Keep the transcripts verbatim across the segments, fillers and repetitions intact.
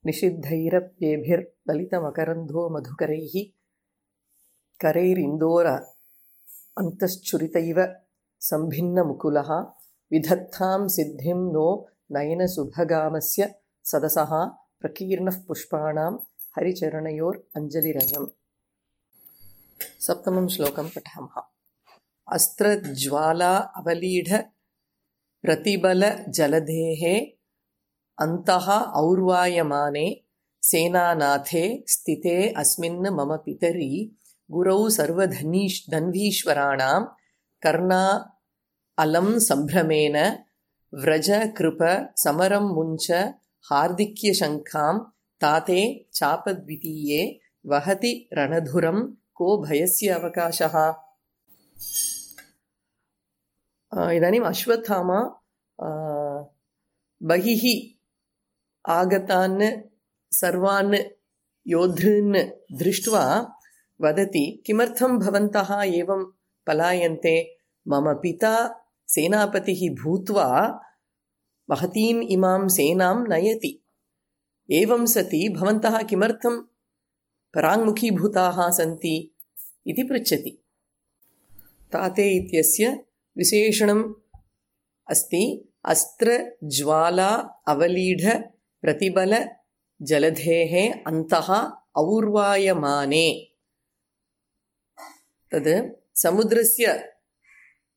निषिद्धैरप्येभिर्ललितमकरन्धो मधुकरैः करैरिन्दोर अन्तश्चुरितैव सम्भिन्नमुकुलः विधत्तां सिद्धिं नो नयनसुभगामस्य सदसः प्रकीर्णः पुष्पाणां हरिचरणयोर् अञ्जलिरयम्। सप्तमं श्लोकं पठामः। अस्त्रज्वाला अवलीढ प्रतिबलजलधेः अन्तः और्वायमाने सेनानाथे स्थिते अस्मिन् मम पितरि गुरौ सर्वधनीश् धन्वीश्वराणां कर्णा अलं सम्भ्रमेण व्रज कृप समरं मुञ्च हार्दिक्यशङ्खां ताते चापद्वितीये वहति रणधुरं को भयस्य अवकाशः। इदानीम् अश्वत्थामा बहिः आगतान् सर्वान् योद्धॄन् दृष्ट्वा वदति, किमर्थं भवन्तः एवं पलायन्ते? मम पिता सेनापतिः भूत्वा महतीम् इमां सेनां नयति। एवं सति भवन्तः किमर्थं पराङ्मुखीभूताः सन्ति इति पृच्छति। ताते इत्यस्य विशेषणम् अस्ति अस्त्रज्वाला अवलीढ प्रतिबल जलधेः अन्तः और्वायमाने। तद् समुद्रस्य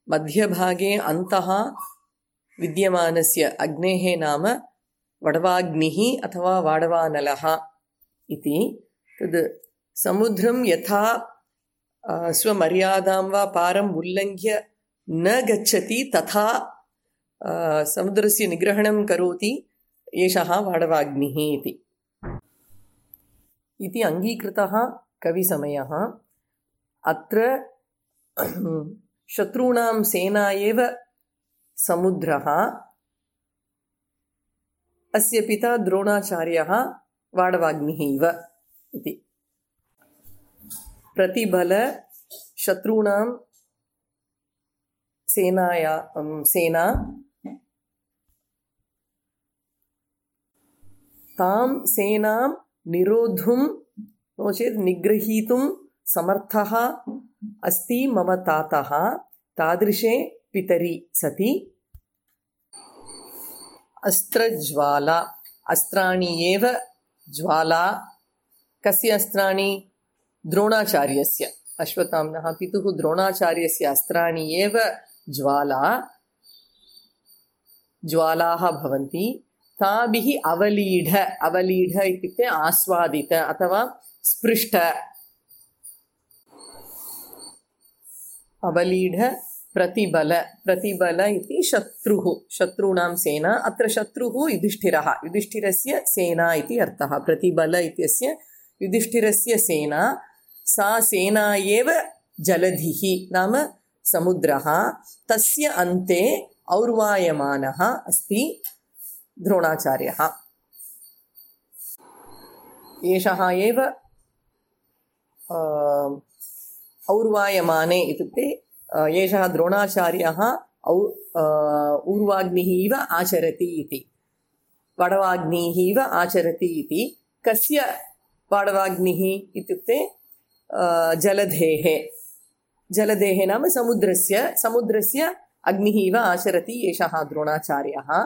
मध्यभागे अन्तः विद्यमानस्य अग्नेः नाम वडवाग्निः अथवा वाडवानलः इति। तद् समुद्रं यथा स्वमर्यादां वा पारम् उल्लङ्घ्य न गच्छति तथा समुद्रस्य निग्रहणं करोति एषः वाडवाग्निः इति इति अङ्गीकृतः कविसमयः। अत्र शत्रूणां सेना एव समुद्रः, अस्य पिता द्रोणाचार्यः वाडवाग्निः इव इति। प्रतिबल शत्रूणां सेनाया सेना तां सेनां निरोद्धुं नो चेत् निग्रहीतुं समर्थः अस्ति मम तातः। तादृशे पितरि सति अस्त्रज्वाला, अस्त्राणि एव ज्वाला। कस्य अस्त्राणि? द्रोणाचार्यस्य, अश्वत्थाम्नः पितुः द्रोणाचार्यस्य अस्त्राणि एव ज्वाला ज्वालाः भवन्ति। ताभिः अवलीढ, अवलीढ इत्युक्ते आस्वादित अथवा स्पृष्ट। अवलीढ प्रतिबल, प्रतिबल इति शत्रुः, शत्रूणां सेना। अत्र शत्रुः युधिष्ठिरः, युधिष्ठिरस्य सेना इति अर्थः। प्रतिबल इत्यस्य युधिष्ठिरस्य सेना, सा सेना एव जलधिः नाम समुद्रः। तस्य अन्ते और्वायमानः अस्ति द्रोणाचार्यः। एषः एव और्वायमाने इत्युक्ते एषः द्रोणाचार्यः औ ऊर्वाग्निः इव आचरति इति, वडवाग्निः इव आचरति इति। कस्य वाडवाग्निः इत्युक्ते जलधेः, जलधेः नाम समुद्रस्य, समुद्रस्य अग्निः इव आचरति एषः द्रोणाचार्यः।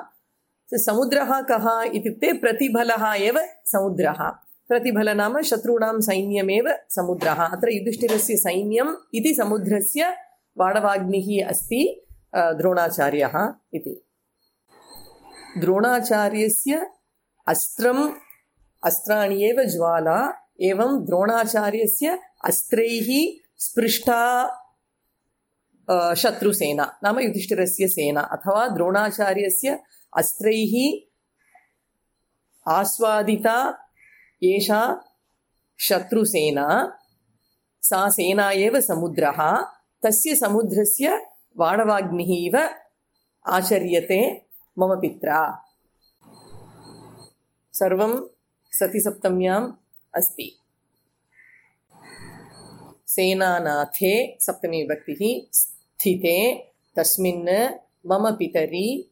समुद्रः कः इत्युक्ते प्रतिबलः एव समुद्रः। प्रतिबल नाम शत्रूणां सैन्यमेव समुद्रः। अत्र युधिष्ठिरस्य सैन्यम् इति समुद्रस्य वाडवाग्निः अस्ति द्रोणाचार्यः इति। द्रोणाचार्यस्य अस्त्रम्, अस्त्राणि एव ज्वाला। एवं द्रोणाचार्यस्य अस्त्रैः स्पृष्टा शत्रुसेना नाम युधिष्ठिरस्य सेना, अथवा द्रोणाचार्यस्य अस्त्रैः आस्वादिता एषा शत्रुसेना, सा सेना एव समुद्रः। तस्य समुद्रस्य वाडवाग्निः इव आचर्यते मम पित्रा। सर्वं सतिसप्तम्याम् अस्ति। सेनानाथे सप्तमी विभक्तिः स्थिते तस्मिन् मम पितरि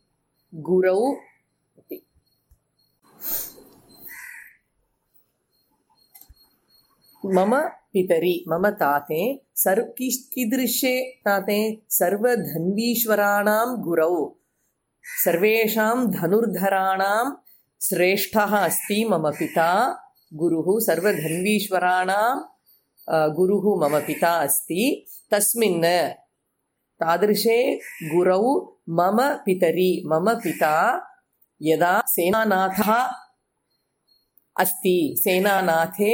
गुरौ इति। मम पितरि मम ताते सर्व कीदृशे ताते सर्वधन्वीश्वराणां गुरौ सर्वेषां धनुर्धराणां श्रेष्ठः अस्ति मम पिता गुरुः सर्वधन्वीश्वराणां गुरुः मम पिता अस्ति तस्मिन् तादृशे गुरौ मम पितरि मम पिता यदा सेनानाथः अस्ति सेनानाथे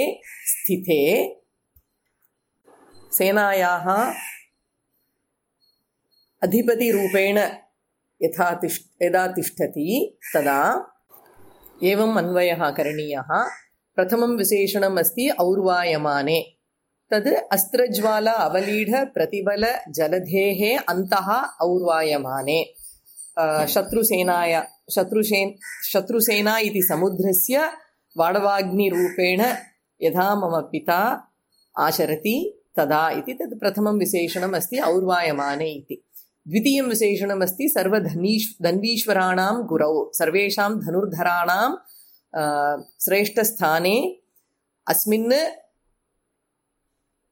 स्थिते सेनायाः अधिपतिरूपेण यथा तिष्ठ यदा तिष्ठति तदा एवम् अन्वयः करणीयः। प्रथमं विशेषणम् अस्ति और्वायमाने तद् अस्त्रज्वाला अवलीढ प्रतिबल जलधेः अन्तः और्वायमाने शत्रुसेनाय शत्रुसेन शत्रुसेना इति समुद्रस्य वाडवाग्निरूपेण यथा मम पिता आचरति तदा इति तद् प्रथमं विशेषणम् अस्ति और्वायमाने इति। द्वितीयं विशेषणम् अस्ति सर्वधनीश् धन्वीश्वराणां गुरौ सर्वेषां धनुर्धराणां श्रेष्ठस्थाने अस्मिन्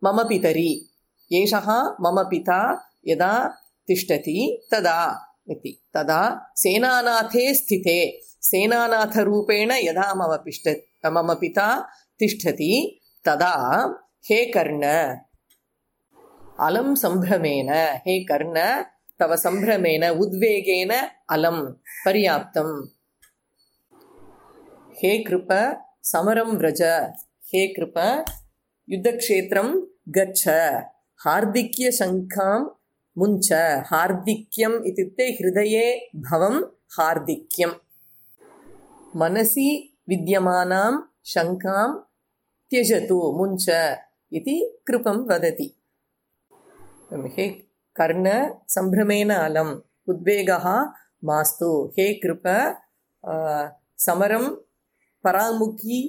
मम पितरि एषः मम पिता यदा तिष्ठति तदा इति। तदा सेनानाथे स्थिते सेनानाथरूपेण यदा मम पिष्ट मम पिता तिष्ठति तदा हे कर्ण अलं सम्भ्रमेण हे कर्ण तव सम्भ्रमेण उद्वेगेन अलं पर्याप्तं हे कृप समरं व्रज हे कृप युद्धक्षेत्रं गच्छ हार्दिक्यशङ्खां मुञ्च हार्दिक्यम् इत्युक्ते हृदये भवं हार्दिक्यं मनसि विद्यमानां शङ्कां त्यजतु मुञ्च इति कृपं वदति। हे कर्ण सम्भ्रमेण अलम् उद्वेगः मास्तु हे कृप समरं पराङ्मुखी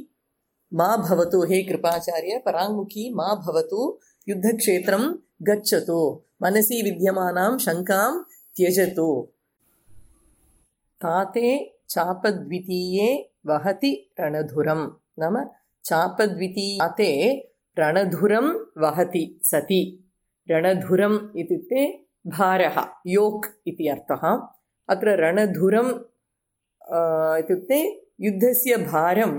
मा भवतु हे कृपाचार्य पराङ्मुखी मा भवतु युद्धक्षेत्रं गच्छतु मनसि विद्यमानां शङ्कां त्यजतु। ताते चापद्वितीये वहति रणधुरं नाम चापद्वितीये रणधुरं वहति सति रणधुरम् इत्युक्ते भारः योक् इति अर्थः। अत्र रणधुरम् इत्युक्ते युद्धस्य भारं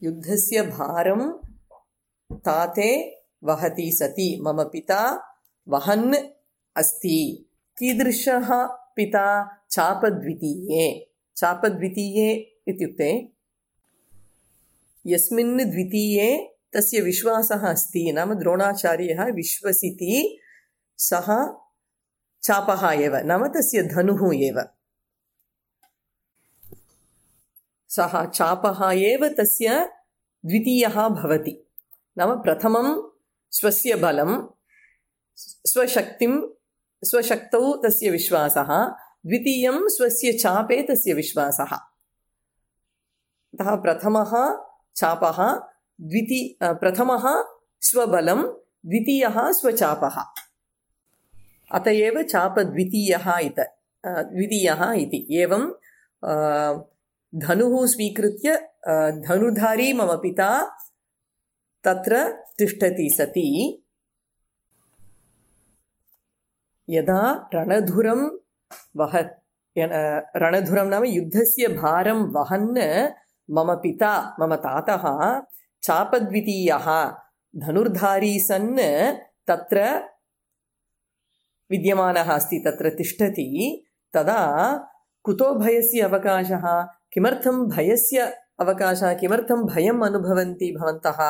युद्धस्य भारं ताते वहति सति मम पिता वहन् अस्ति। कीदृशः पिता चापद्वितीये चापद्वितीये इत्युक्ते यस्मिन् द्वितीये तस्य विश्वासः अस्ति नाम द्रोणाचार्यः विश्वसिति सः चापः एव नाम तस्य धनुः एव सः चापः एव तस्य द्वितीयः भवति नाम प्रथमं स्वस्य बलं स्वशक्तिं स्वशक्तौ तस्य विश्वासः द्वितीयं स्वस्य चापे तस्य विश्वासः। अतः प्रथमः चापः द्विती प्रथमः स्वबलं द्वितीयः स्वचापः अत एव चापद्वितीयः इत द्वितीयः इति। एवं धनुः स्वीकृत्य धनुर्धारी मम पिता तत्र तिष्ठति सति यदा रणधुरं वह रणधुरं नाम युद्धस्य भारं वहन् मम पिता मम तातः चापद्वितीयः धनुर्धारी सन् तत्र विद्यमानः अस्ति तत्र तिष्ठति तदा कुतो भयस्य अवकाशः किमर्थं भयस्य अवकाशः किमर्थं भयम् अनुभवन्ति भवन्तः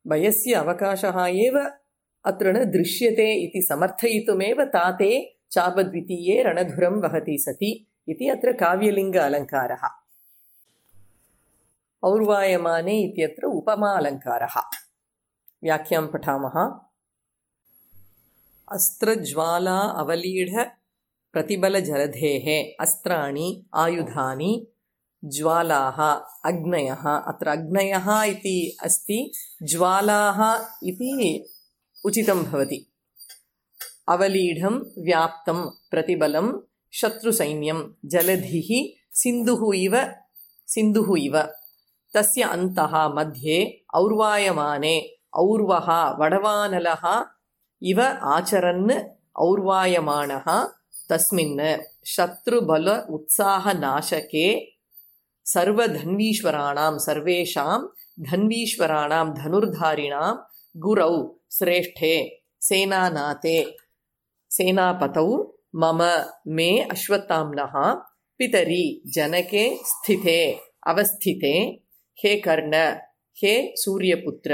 भयस्य अवकाशः एव अत्र न दृश्यते इति समर्थयितुमेव ताते चापद्वितीये रणधुरं वहति सति इति अत्र काव्यलिङ्ग अलङ्कारः। और्वायमाने इत्यत्र उपमा अलङ्कारः। व्याख्यां पठामः। अस्त्रज्वाला अवलीढ प्रतिबलजलधेः अस्त्राणि आयुधानि ज्वालाः अग्नयः अत्र अग्नयः इति अस्ति ज्वालाः इति उचितं भवति। अवलीढं व्याप्तं प्रतिबलं शत्रुसैन्यं जलधिः सिन्धुः इव सिन्धुः इव तस्य अन्तः मध्ये और्वायमाने और्वः वडवानलः इव आचरन् और्वायमानः तस्मिन् शत्रुबल उत्साहनाशके सर्वधन्वीश्वराणां सर्वेषां धन्वीश्वराणां धनुर्धारिणां गुरौ श्रेष्ठे सेनानाते सेनापतौ मम मे अश्वत्थाम्नः पितरि जनके स्थिते अवस्थिते हे कर्ण हे सूर्यपुत्र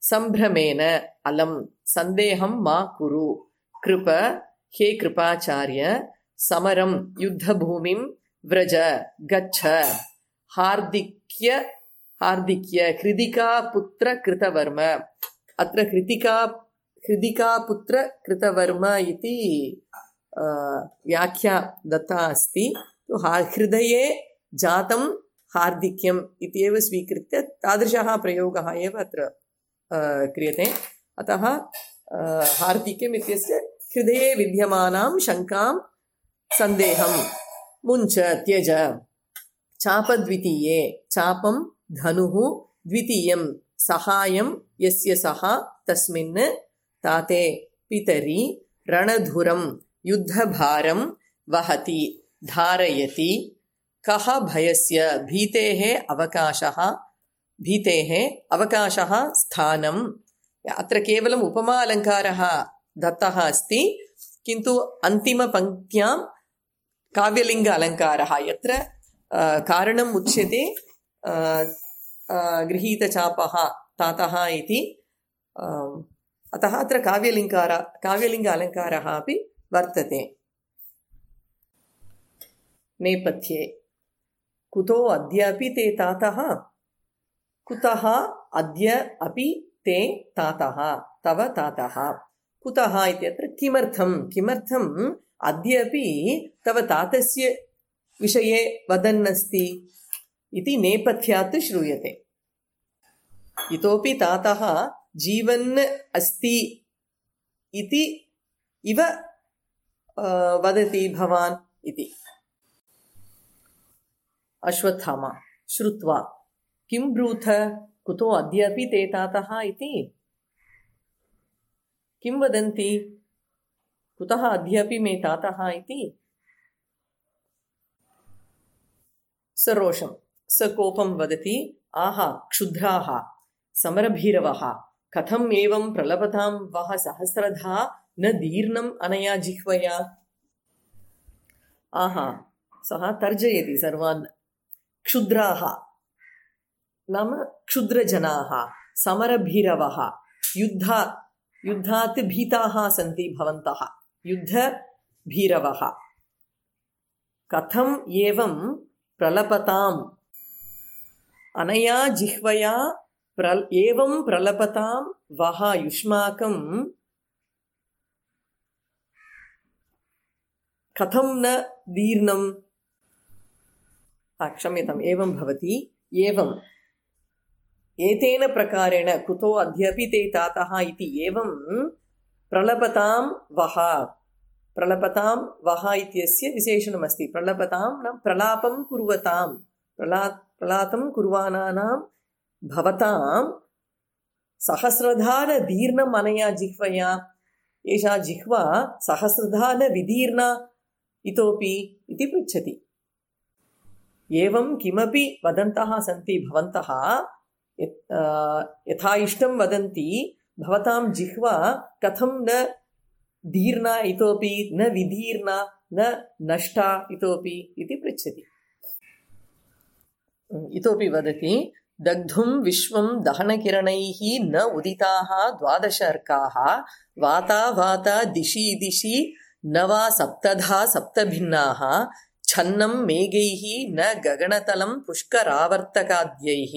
संभ्रमेण अलं संदेहं मा कुरु कृप हे कृपाचार्य समरं युद्धभूमिं व्रज गच्छ हार्दिक्य हार्दिक्य कृतिका पुत्र कृतवर्म अत्र कृतिका कृतिका पुत्र कृतवर्म इति व्याख्या दत्ता अस्ति। तो हृदये जातं हार्दिक्यम् इत्येव स्वीकृत्य तादृशः प्रयोगः एव अत्र क्रियते। अतः हार्दिक्यम् इत्यस्य हृदये विद्यमानां शङ्कां सन्देहं मुञ्च त्यज चापद्वितीये चापं धनुः द्वितीयं सहायं यस्य सः तस्मिन् ताते पितरि रणधुरं युद्धभारं वहति धारयति कः भयस्य भीतेः अवकाशः भीतेः अवकाशः स्थानम्। अत्र केवलम् उपमा अलङ्कारः दत्तः अस्ति, किन्तु अन्तिमपङ्क्त्यां काव्यलिङ्ग अलङ्कारः यत्र कारणम् उच्यते गृहीतचापः तातः इति, अतः अत्र काव्यलिङ्कार काव्यलिङ्ग अलङ्कारः अपि वर्तते। नेपथ्ये कुतो अद्यापि ते तातः कुतः अद्य अपि ते तातः तव तातः कुतः इत्यत्र किमर्थं किमर्थम् अद्यापि तव तातस्य विषये वदन्नस्ति इति नेपथ्यात् श्रूयते। इतोपि तातः जीवन् अस्ति इति इव वदति भवान् इति। अश्वत्थामा श्रुत्वा किं ब्रूथ कुतो अद्यापि ते तातः इति किं वदन्ति कुतः अद्यापि मे तातः इति। सरोषं सकोपं वदति आहा क्षुद्राः समरभीरवः कथम् एवं प्रलपतां वः सहस्रधा न दीर्णम् अनया जिह्वया। आहा सः तर्जयति सर्वान्। क्षुद्राः नाम क्षुद्रजनाः, समरभीरवः युद्ध युद्धात् भीताः सन्ति भवन्तः युद्धभीरवः कथम् एवं प्रलपताम् अनया जिह्वया प्र एवं प्रलपतां वः युष्माकं कथं न दीर्णम्। क्षम्यताम् एवं भवति एवं एतेन प्रकारेण कुतो अद्यापि ते तातः इति एवं प्रलपतां वः प्रलपतां वः इत्यस्य विशेषणमस्ति। प्रलपतां न प्रलापं कुर्वतां प्रला प्रलापं कुर्वाणानां भवतां सहस्रधा न दीर्णम् अनया जिह्वया। एषा जिह्वा सहस्रधा न विदीर्णा इतोपि इति पृच्छति। एवं किमपि वदन्तः सन्ति भवन्तः यथा इष्टं वदन्ति भवतां जिह्वा कथं न दीर्णा इतोपि न विदीर्णा न नष्टा इतोपि इति पृच्छति। इतोपि वदति दग्धुं विश्वं दहनकिरणैः न उदिताः द्वादश अर्काः वाता वाता दिशि दिशि न वा सप्तधा सप्तभिन्नाः छन्नं मेघैः न गगनतलं पुष्करावर्तकाद्यैः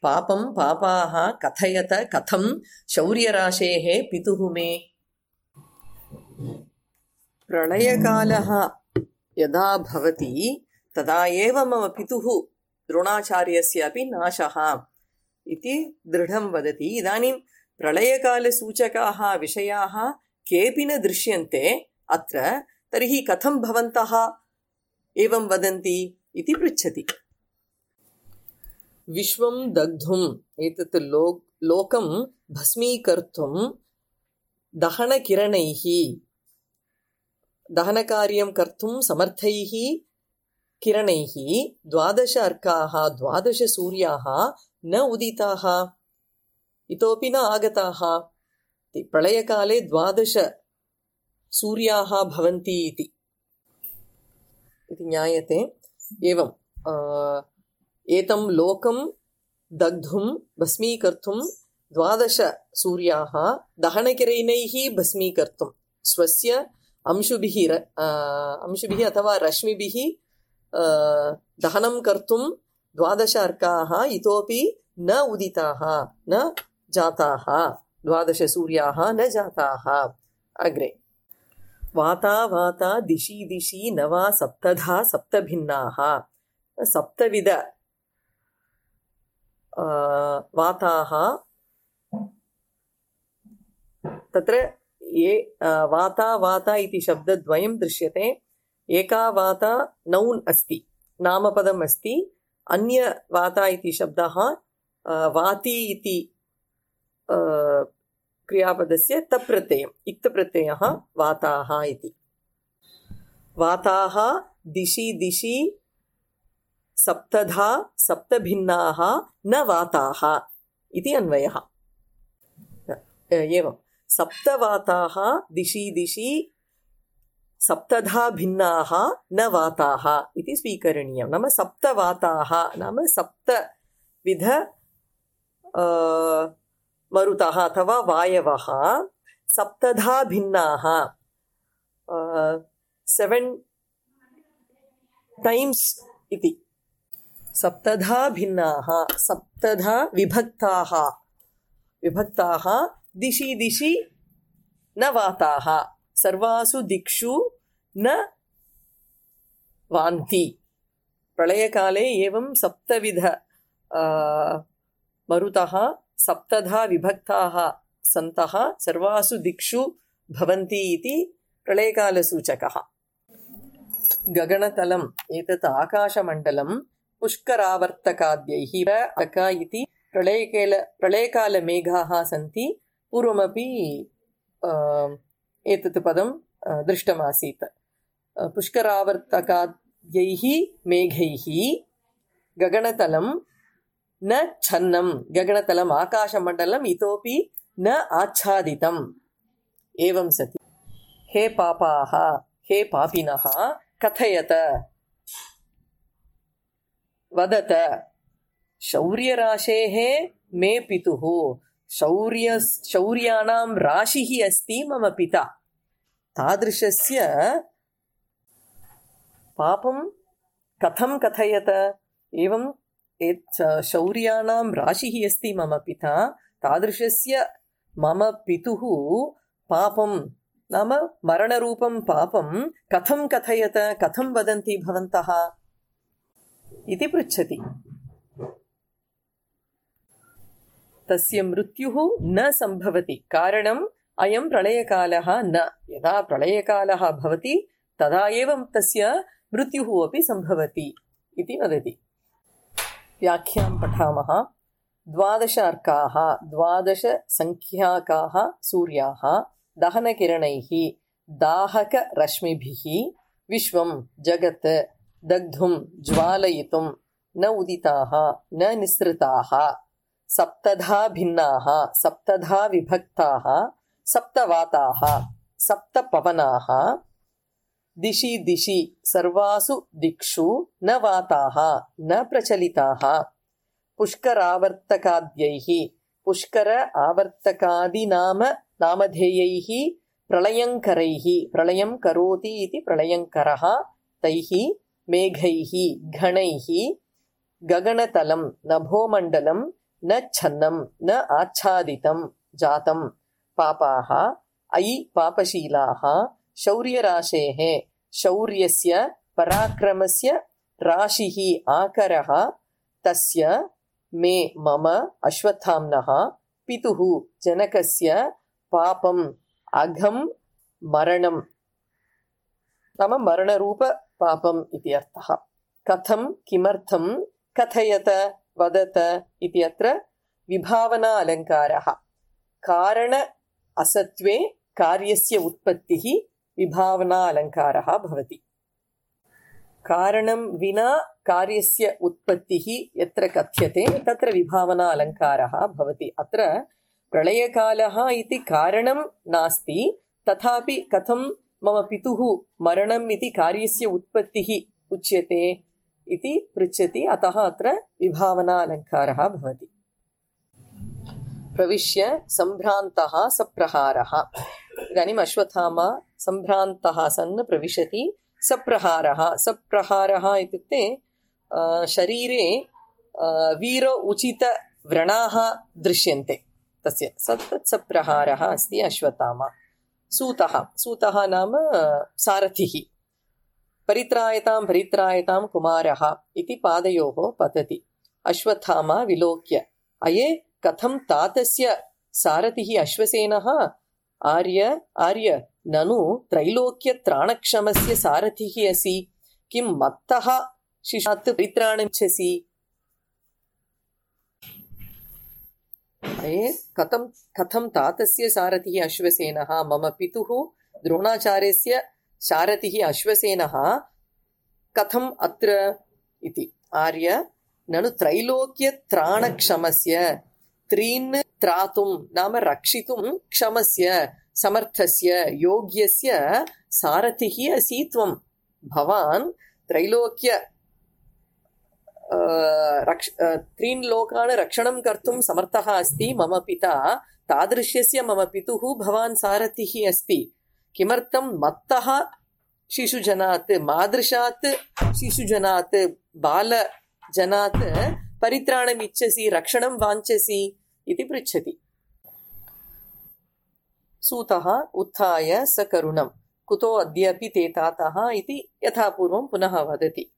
पापं पापाः कथयत कथं शौर्यराशेः पितुः मे। प्रलयकालः यदा भवति तदा एव मम पितुः द्रोणाचार्यस्य अपि नाशः इति दृढं वदति। इदानीं प्रलयकालसूचकाः विषयाः केऽपि न दृश्यन्ते अत्र, तर्हि कथं भवन्तः एवं वदन्ति इति पृच्छति। विश्वं दग्धुम् एतत् लो लोकं भस्मीकर्तुं दहनकिरणैः दहनकार्यं कर्तुं समर्थैः किरणैः द्वादश अर्काः द्वादश सूर्याः न उदिताः इतोपि न आगताः। प्रलयकाले द्वादश सूर्याः भवन्ति इति इति ज्ञायते। एवं एतं लोकं दग्धुं भस्मीकर्तुं द्वादश सूर्याः दहनकिरणैः भस्मीकर्तुं स्वस्य अंशुभिः अंशुभिः अथवा रश्मिभिः दहनं कर्तुं द्वादश अर्काः इतोपि न उदिताः न जाताः द्वादश सूर्याः न जाताः। अग्रे वाता वाता दिशि दिशि नवा सप्तधा सप्तभिन्नाः सप्तविध वाताः तत्र ये वाता वाता इति शब्दद्वयं दृश्यते। एका वाता नौन् अस्ति नामपदम् अस्ति, अन्य वाता इति शब्दः वाति इति क्रियापदस्य तप्रत्ययम् इक्तप्रत्ययः वाताः इति। वाताः दिशि दिशि सप्तधा सप्तभिन्नाः न वाताः इति अन्वयः। एवं सप्तवाताः दिशि दिशि सप्तधा भिन्नाः न वाताः इति स्वीकरणीयं। नाम सप्तवाताः नाम सप्तविध मरुतः अथवा वायवः सप्तधा भिन्नाः सेवेन् टाइम्स् इति सप्तधा भिन्नाः सप्तधा विभक्ताः विभक्ताः दिशि दिशि न वाताः सर्वासु दिक्षु न वान्ति। प्रलयकाले एवं सप्तविध मरुतः सप्तधा विभक्ताः सन्तः सर्वासु दिक्षु भवन्ति इति प्रलयकालसूचकः। गगनतलम् एतत् आकाशमण्डलं पुष्करावर्तकाद्यैः अक इति प्रलयकाल प्रलयकालमेघाः सन्ति। पूर्वमपि एतत् पदं दृष्टमासीत्। पुष्करावर्तकाद्यैः मेघैः गगनतलं न छन्नं गगनतलम् आकाशमण्डलम् इतोपि न आच्छादितम्। एवं सति हे पापाः हे पापिनः कथयत वदत शौर्यराशेः मे पितुः शौर्य शौर्याणां राशिः अस्ति मम पिता। तादृशस्य पापं कथं कथयत। एवं शौर्याणां राशिः अस्ति मम पिता तादृशस्य मम पितुः पापं नाम मरणरूपं पापं कथं कथयत कथं वदन्ति भवन्तः इति पृच्छति। तस्य मृत्युः न संभवति कारणम् अयं प्रलयकालः न। यदा प्रलयकालः भवति तदा एव तस्य मृत्युः अपि संभवति इति वदति। व्याख्यां पठामः। द्वादश अर्काः द्वादश संख्याकाः सूर्याः दहनकिरणैः दाहकरश्मिभिः विश्वं जगत् दग्धुं ज्वालयितुं न उदिताः न निस्सृताः सप्तधा भिन्नाः सप्तधा विभक्ताः सप्तवाताः सप्तपवनाः दिशि दिशि सर्वासु दिक्षु न वाताः न प्रचलिताः पुष्करावर्तकाद्यैः पुष्कर आवर्तकादिनाम नामधेयैः प्रलयङ्करैः प्रलयं करोति इति प्रलयङ्करः तैः मेघैः घणैः गगनतलं नभोमण्डलं न छन्नं न आच्छादितं जातं पापाः अयि पापशीलाः शौर्यराशेः शौर्यस्य पराक्रमस्य राशिः आकरः तस्य मे मम अश्वत्थाम्नः पितुः जनकस्य पापम् अघं मरणं नाम मरणरूप पापम् इति अर्थः। कथं किमर्थं कथयत वदत इति अत्र विभावना अलङ्कारः। कारण असत्वे कार्यस्य उत्पत्तिः विभावना अलङ्कारः भवति। कारणं विना कार्यस्य उत्पत्तिः यत्र कथ्यते तत्र विभावना अलङ्कारः भवति। अत्र प्रलयकालः इति कारणं नास्ति, तथापि कथं मम पितुः मरणम् इति कार्यस्य उत्पत्तिः उच्यते इति पृच्छति, अतः अत्र विभावना अलङ्कारः भवति। प्रविश्य सम्भ्रान्तः सप्रहारः। इदानीम् अश्वत्थामा सम्भ्रान्तः सन् प्रविशति। सप्रहारः सप्रहारः इत्युक्ते शरीरे वीर उचित व्रणाः दृश्यन्ते, तस्य तत् सप्रहारः अस्ति अश्वत्थामा। सूतः सूतः नाम सारथिः। परित्रायतां परित्रायतां कुमारः इति पादयोः पतति। अश्वत्थामा विलोक्य अये कथं तातस्य सारथिः अश्वसेनः? आर्य आर्य ननु त्रैलोक्यत्राणक्षमस्य सारथिः असि, किं मत्तः शिशात् परित्राणमिच्छसि? अये कथं कथं तातस्य सारथिः अश्वसेनः? मम पितुः द्रोणाचार्यस्य सारथिः अश्वसेनः कथम् अत्र इति। आर्य ननु त्रैलोक्यत्राणक्षमस्य, त्रीन् त्रातुं नाम रक्षितुं, क्षमस्य समर्थस्य योग्यस्य सारथिः असि त्वं। भवान् त्रैलोक्य रक्ष त्रीन् लोकान् रक्षणं कर्तुं समर्थः अस्ति। मम पिता तादृशस्य मम पितुः भवान् सारथिः अस्ति। किमर्थं मत्तः शिशुजनात्, मादृशात् शिशुजनात्, बालजनात् परित्राणम् इच्छसि, रक्षणं वाञ्छसि इति पृच्छति। सूतः उत्थाय सकरुणं कुतो अद्यापि ते तातः इति यथापूर्वं पुनः वदति।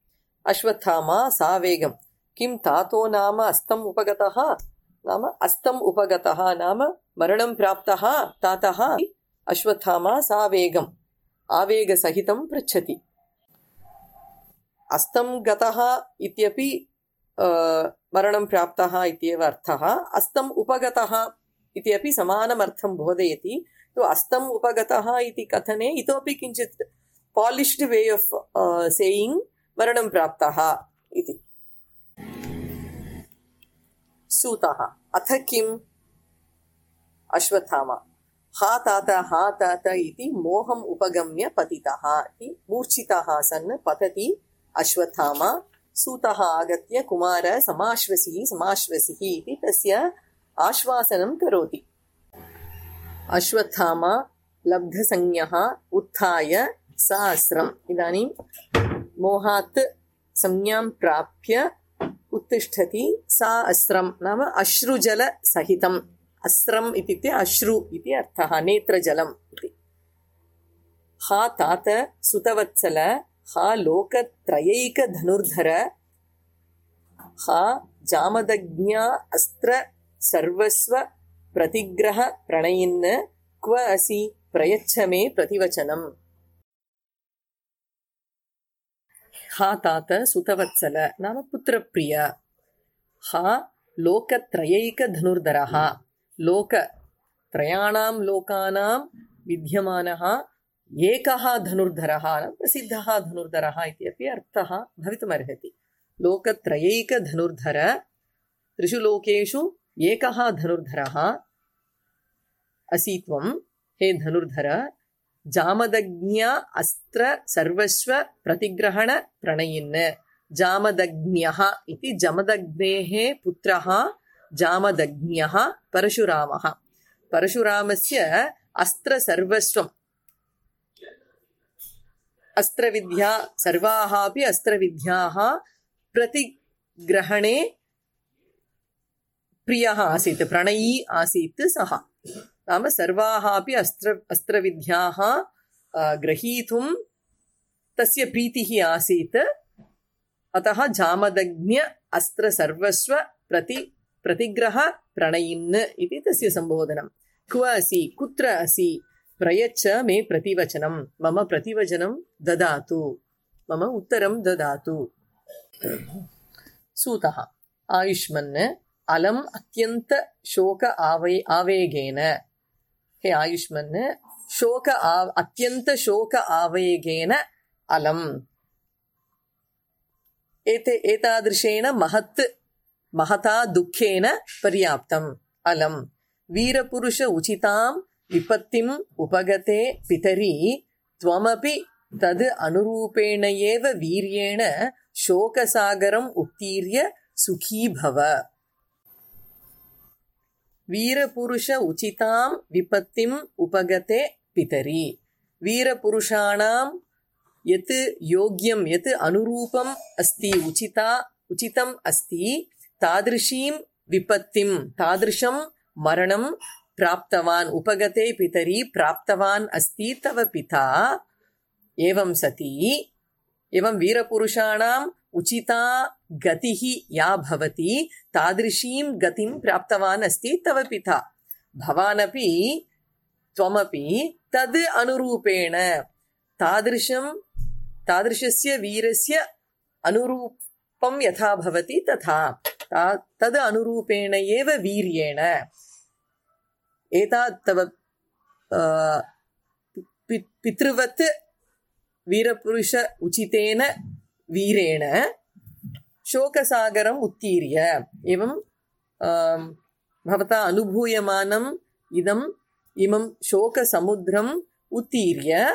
अश्वत्थामा सावेगं किं तातो नाम अस्तम् उपगतः, नाम अस्तम् उपगतः नाम मरणं प्राप्तः तातः। अश्वत्थामा सावेगम् आवेगसहितं पृच्छति। अस्तं गतः इत्यपि मरणं प्राप्तः इत्येव अर्थः। अस्तं उपगतः इति अपि समानमर्थं बोधयति। तो अस्तं उपगतः इति कथने इतोपि किञ्चित् पालिश्ड् वे आफ् सेयिङ्ग् मरणं प्राप्तः इति। सूतः अथ किम्? अश्वत्थामा हा तात हा तात इति मोहम् उपगम्य पतितः इति मूर्छितः सन् पतति अश्वत्थामा। सूतः आगत्य कुमार समाश्वसिः समाश्वसिः इति तस्य आश्वासनं करोति। अश्वत्थामा लब्धसंज्ञः उत्थाय सहस्रम्। इदानीं मोहात् संज्ञां प्राप्य उत्तिष्ठति। सहस्रं नाम अश्रुजलसहितम्। अस्रम् इत्युक्ते अश्रु इति अर्थः, नेत्रजलम् इति। हा तात सुतवत्सल, हा लोकत्रयैकधनुर्धर, हा जामदग्न्या अस्त्र सर्वस्व प्रतिग्रह प्रणयिन्, क्व असि प्रयच्छ मे प्रतिवचनम्। हा तात सुतवत्सल नाम पुत्रप्रिय। हा लोकत्रयैकधनुर्धरः, लोकत्रयाणां लोकानां विद्यमानः एकः धनुर्धरः, प्रसिद्धः धनुर्धरः इति अपि अर्थः भवितुमर्हति। लोकत्रयैकधनुर्धर, त्रिषु लोकेषु एकः धनुर्धरः असि त्वं, हे धनुर्धर। जामदग्न्या अस्त्र सर्वस्व प्रतिग्रहण प्रणयिन्। जामदग्न्यः इति जमदग्नेः पुत्रः जामदग्न्यः परशुरामः। परशुरामस्य अस्त्र सर्वस्वम्, अस्त्रविद्या सर्वाः अपि अस्त्रविद्याः प्रतिग्रहणे प्रियः आसीत्, प्रणयी आसीत् सः। नाम सर्वाः अपि अस्त्र अस्त्रविद्याः ग्रहीतुं तस्य प्रीतिः आसीत्। अतः जामदग्न्य अस्त्र सर्वस्व प्रति प्रतिग्रह प्रणयिन् इति तस्य संबोधनं। क्व असि, कुत्र असि, प्रयच्छ मे प्रतिवचनं, मम प्रतिवचनं ददातु, मम उत्तरं ददातु। सूतः आयुष्मन् अलम् अत्यन्त शोक आवे आवेगेन हे आयुष्मन् शोक आव अत्यन्त शोक आवेगेन अलम् एते एतादृशेन महत् महता दुःखेन पर्याप्तम् अलम् वीरपुरुष उचितां विपत्तिम् उपगते पितरी त्वमपि तद् अनुरूपेण एव वीर्येण शोकसागरम् उत्तीर्य सुखी भव वीरपुरुष उचितां विपत्तिम् उपगते पितरी वीरपुरुषाणां यत् योग्यं यत् अनुरूपम् अस्ति उचिता उचितम् अस्ति तादृशीं विपत्तिं तादृशं मरणं प्राप्तवान् उपगते पितरी प्राप्तवान् अस्ति तव पिता एवं सति एवं वीरपुरुषाणाम् उचिता गतिः या भवति तादृशीं गतिं प्राप्तवान् अस्ति तव पिता भवानपि त्वमपि तद् अनुरूपेण तादृशं तादृशस्य वीरस्य अनुरूपं यथा भवति तथा तद् अनुरूपेण एव वीर्येण एतत् तव पितृवत् वीरपुरुष उचितेन वीरेण शोकसागरम् उत्तीर्य एवं भवता अनुभूयमानम् इदम् इमं शोकसमुद्रम् उत्तीर्य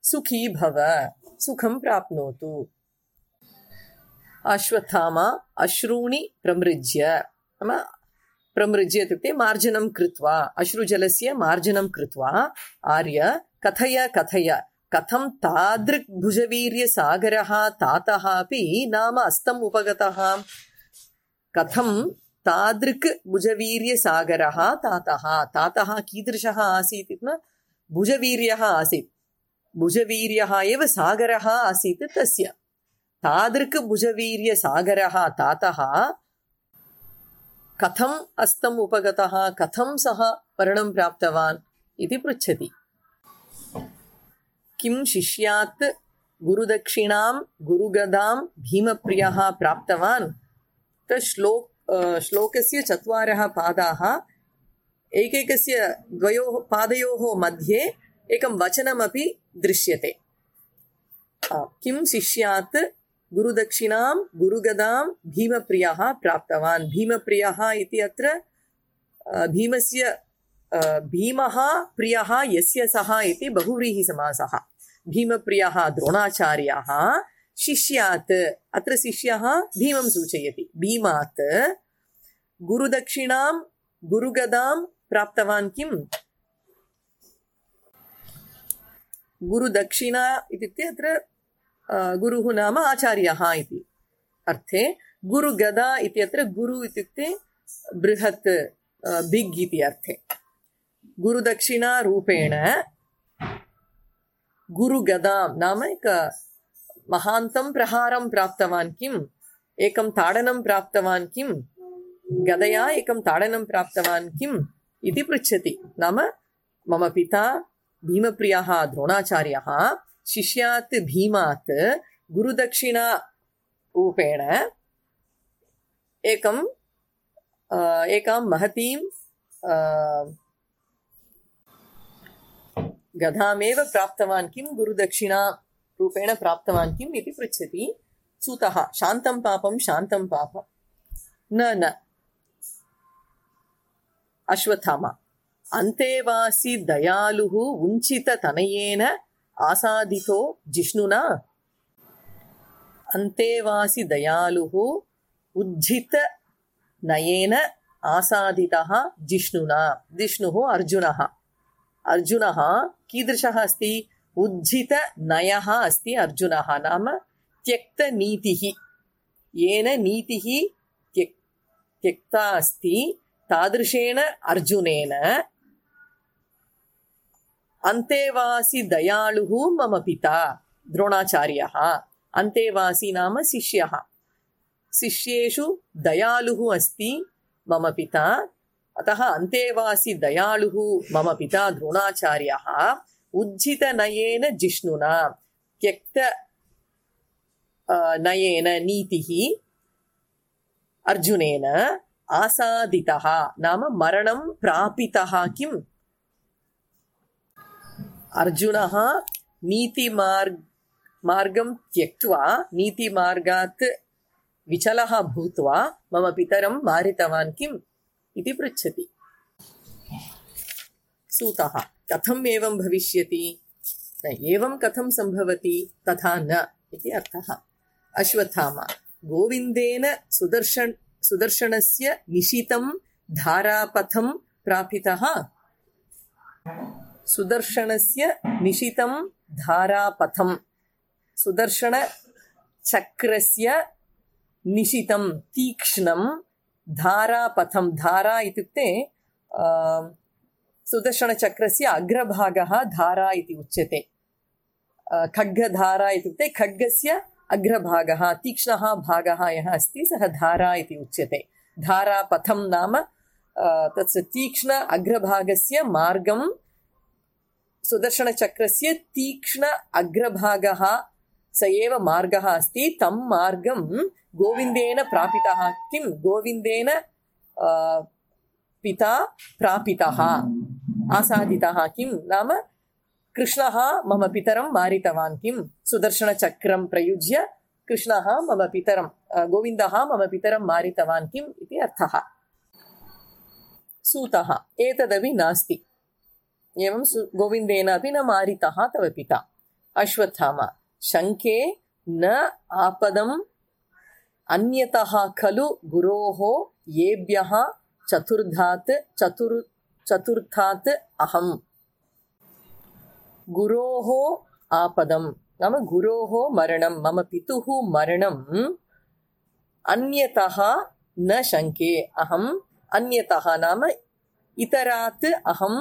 सुखी भव सुखं प्राप्नोतु अश्वत्थामा अश्रूणि प्रमृज्य नाम प्रमृज्य इत्युक्ते मार्जनं कृत्वा अश्रुजलस्य मार्जनं कृत्वा आर्य कथय कथय कथं तादृक् भुजवीर्यसागरः तातः अपि नाम अस्तम् उपगतः कथं तादृक् भुजवीर्यसागरः तातः तातः कीदृशः आसीत् इति भुजवीर्यः आसीत् भुजवीर्यः एव सागरः आसीत् तस्य तादृक् भुजवीर्यसागरः तातः कथम् अस्तम् उपगतः कथं सः मरणं प्राप्तवान् इति पृच्छति किं शिष्यात् गुरुदक्षिणां गुरुगदां भीमप्रियः प्राप्तवान् तत् श्लोक श्लोकस्य चत्वारः पादाः एकैकस्य द्वयोः पादयोः मध्ये एकं वचनमपि दृश्यते किं शिष्यात् गुरुदक्षिणां गुरुगदां भीमप्रियः प्राप्तवान् भीमप्रियः इति अत्र भीमस्य भीमः प्रियः यस्य सः इति बहुव्रीहिसमासः भीमप्रियः द्रोणाचार्यः शिष्यात् अत्र शिष्यः भीमं सूचयति भीमात् गुरुदक्षिणां गुरुगदां प्राप्तवान् किम् गुरुदक्षिणा इत्युक्ते अत्र गुरुः नाम आचार्यः इति अर्थे गुरुगदा इत्यत्र गुरु इत्युक्ते बृहत् बिग् इति अर्थे गुरुदक्षिणा रूपेण गुरुगदां नाम एक महान्तं प्रहारं प्राप्तवान् किम् एकं ताडनं प्राप्तवान् किम् गदया एकं ताडनं प्राप्तवान् किम् इति पृच्छति नाम मम पिता भीमप्रियः द्रोणाचार्यः शिष्यात् भीमात् गुरुदक्षिणा रूपेण एकं एकां महतीं गदामेव प्राप्तवान् किं गुरुदक्षिणा रूपेण प्राप्तवान् किम् इति पृच्छति सूतः शान्तं पापं शान्तं पाप न न अश्वत्थामा अन्तेवासि दयालुः उञ्चिततनयेन आसादितो जिष्णुना अन्तेवासि दयालुः उज्झितनयेन आसादितः जिष्णुना जिष्णुः अर्जुनः अर्जुनः कीदृशः अस्ति उज्झितनयः अस्ति अर्जुनः नाम त्यक्तनीतिः येन नीतिः त्यक् त्यक्ता अस्ति तादृशेन अर्जुनेन अन्तेवासि दयालुः मम पिता द्रोणाचार्यः अन्तेवासि नाम शिष्यः शिष्येषु दयालुः अस्ति मम पिता अतः अन्तेवासि दयालुः मम पिता द्रोणाचार्यः उज्झितनयेन जिष्णुना त्यक्त नयेन नीतिः अर्जुनेन आसादितः नाम मरणं प्रापितः किम्? अर्जुनः नीतिमार्ग मार्गं त्यक्त्वा नीतिमार्गात् विचलः भूत्वा मम पितरं मारितवान् किम् इति पृच्छति। सूतः कथम् एवं भविष्यति? न एवं कथं सम्भवति तथा न इति अर्थः। अश्वत्थामा गोविन्देन सुदर्शन सुदर्शनस्य निशितं धारापथं प्रापितः। सुदर्शनस्य निशितं धारापथं सुदर्शन चक्रस्य निशितं तीक्ष्णं धारापथं। धारा इत्युक्ते सुदर्शनचक्रस्य अग्रभागः धारा इति उच्यते। खड्गधारा इत्युक्ते खड्गस्य अग्रभागः तीक्ष्णः भागः यः अस्ति सः धारा इति उच्यते। धारापथं नाम तस्य तीक्ष्ण अग्रभागस्य मार्गं सुदर्शनचक्रस्य तीक्ष्ण अग्रभागः स एव मार्गः अस्ति। तं मार्गं गोविन्देन प्रापितः किं? गोविन्देन पिता प्रापितः आसादितः किं नाम कृष्णः मम पितरं मारितवान् किं? सुदर्शनचक्रं प्रयुज्य कृष्णः मम पितरं गोविन्दः मम पितरं मारितवान् किम् इति अर्थः। सूतः एतदपि नास्ति, एवं गोविन्देनापि न मारितः तव पिता। अश्वत्थामा शङ्के न आपदम् अन्यतः खलु गुरोः येभ्यः चतुर्धात् चतुर् चतुर्थात् अहम्। गुरोः आपदं नाम गुरोः मरणं मम पितुः मरणम् अन्यतः न शङ्के अहम्। अन्यतः नाम इतरात् अहं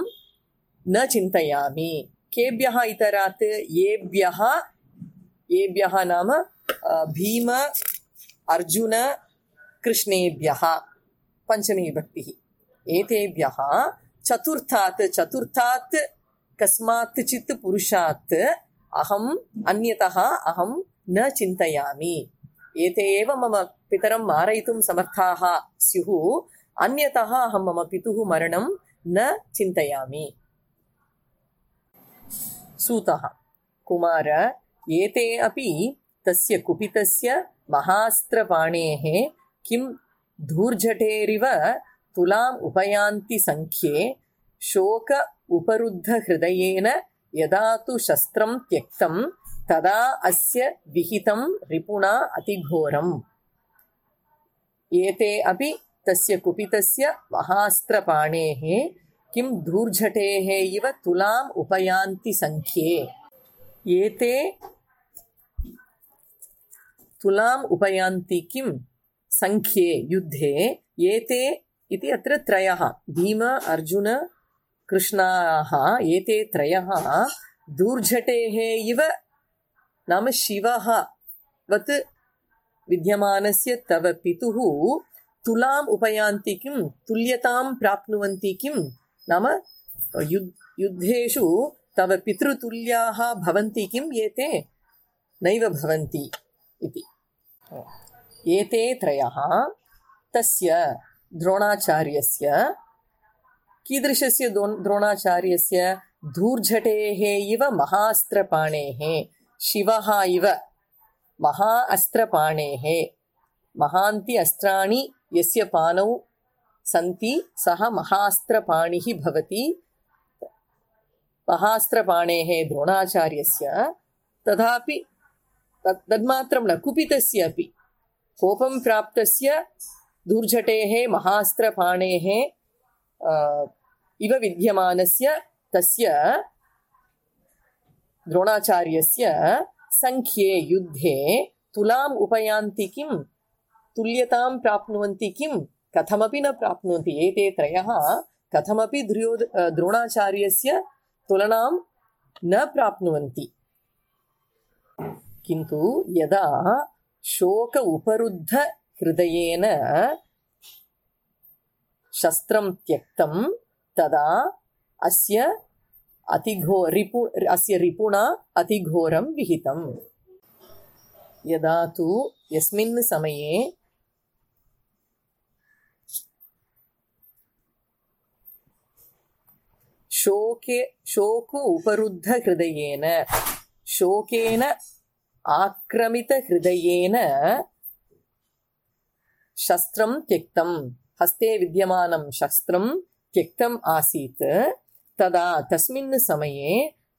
न चिन्तयामि। केभ्यः इतरात्? येभ्यः येभ्यः नाम भीम अर्जुन कृष्णेभ्यः पञ्चमी विभक्तिः। एतेभ्यः चतुर्थात् चतुर्थात् कस्मात् चित् पुरुषात् अहम् अन्यतः अहं न चिन्तयामि। एते एव मम पितरं मारयितुं समर्थाः स्युः, अन्यतः अहं मम पितुः मरणं न चिन्तयामि। सूतः कुमार एते अपि तस्य कुपितस्य महास्त्रपाणेः किं धूर्जटेरिव तुलाम् उपयान्ति संख्ये शोक उपरुद्धहृदयेन यदा तु शस्त्रं त्यक्तं तदा अस्य विहितं रिपुणा अतिघोरम्। एते अपि तस्य कुपितस्य महास्त्रपाणेः किं धूर्जटेः इव तुलाम् उपयान्ति संख्ये। एते तुलाम् उपयान्ति किं संख्ये युद्धे। एते इति अत्र त्रयः भीम अर्जुन कृष्णाः। एते त्रयः धूर्जटेः इव नाम शिवः वत् विद्यमानस्य तव पितुः तुलाम् उपयान्ति किं तुल्यतां प्राप्नुवन्ति किं नाम युद्धेषु तव पितृतुल्याः भवन्ति किम्? एते नैव भवन्ति इति। एते त्रयः तस्य द्रोणाचार्यस्य कीदृशस्य द्रोणाचार्यस्य धूर्जटेः इव महास्त्रपाणेः शिवः इव महा अस्त्रपाणेः महान्ति अस्त्राणि यस्य पाणौ सन्ति सः महास्त्रपाणिः भवति। महास्त्रपाणेः द्रोणाचार्यस्य तथापि तन्मात्रं न कुपितस्य अपि कोपं प्राप्तस्य धूर्जटेः महास्त्रपाणेः इव विद्यमानस्य तस्य द्रोणाचार्यस्य संख्ये युद्धे तुलाम् उपयान्ति किं तुल्यतां प्राप्नुवन्ति किं कथमपि न प्राप्नुवन्ति। एते त्रयः कथमपि द्रोद द्रोणाचार्यस्य तुलनां न प्राप्नुवन्ति। किन्तु यदा शोक उपरुद्ध हृदयेन शस्त्रं त्यक्तं तदा अस्य अतिघो रिपु अस्य रिपुणा अतिघोरं विहितम्। यदा तु यस्मिन् समये शोके शोक उपरुद्धहृदयेन शोकेन आक्रमितहृदयेन शस्त्रं त्यक्तं हस्ते विद्यमानं शस्त्रं त्यक्तम् आसीत् तदा तस्मिन् समये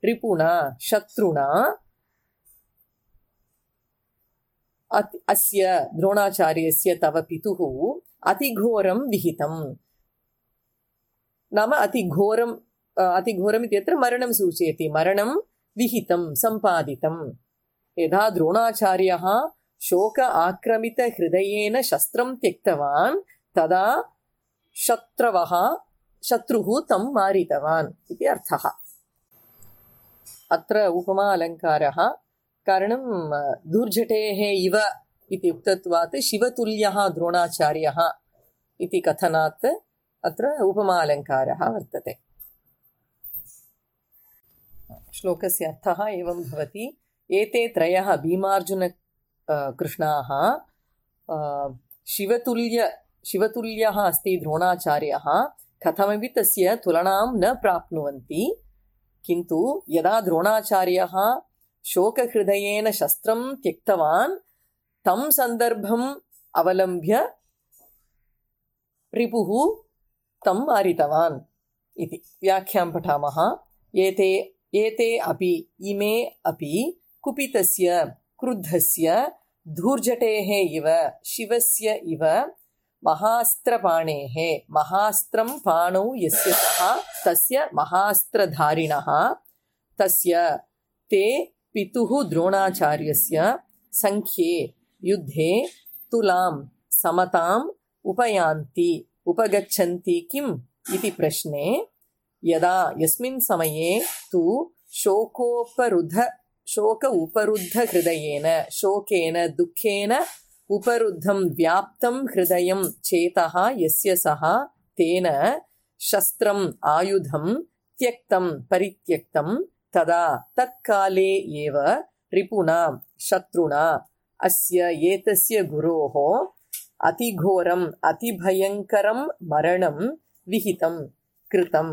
रिपुणा शत्रुणा अस्य द्रोणाचार्यस्य तव पितुः अतिघोरं विहितं नाम अतिघोरं अतिघोरम् इत्यत्र मरणं सूचयति मरणं विहितं सम्पादितं यदा द्रोणाचार्यः शोक आक्रमितहृदयेन शस्त्रं त्यक्तवान् तदा शत्रवः शत्रुः तं मारितवान् इति अर्थः। अत्र उपमा अलङ्कारः कारणं दुर्जटेः इव इति उक्तत्वात् शिवतुल्यः द्रोणाचार्यः इति कथनात् अत्र उपमा अलङ्कारः वर्तते। श्लोकस्य अर्थः एवं भवति एते त्रयः भीमार्जुन कृष्णाः शिवतुल्य शिवतुल्यः अस्ति द्रोणाचार्यः कथमपि तस्य तुलनां न प्राप्नुवन्ति किन्तु यदा द्रोणाचार्यः शोकहृदयेन शस्त्रं त्यक्तवान् तं सन्दर्भम् अवलम्ब्य रिपुः तं मारितवान् इति। व्याख्यां पठामः। एते एते अपि इमे अपि कुपितस्य क्रुद्धस्य धूर्जटेः इव शिवस्य इव महास्त्रपाणेः महास्त्रं पाणौ यस्य सः तस्य महास्त्रधारिणः तस्य ते पितुः द्रोणाचार्यस्य संख्ये युद्धे तुलां समताम् उपयान्ति उपगच्छन्ति किम् इति प्रश्ने यदा यस्मिन् समये तु शोकोपरुद्ध शोक उपरुद्धहृदयेन शोकेन दुःखेन उपरुद्धं व्याप्तं हृदयं चेतः यस्य सः तेन शस्त्रम् आयुधं त्यक्तं परित्यक्तं तदा तत्काले एव रिपुणा शत्रुणा अस्य एतस्य गुरोः अतिघोरम् अतिभयङ्करं मरणं विहितं कृतं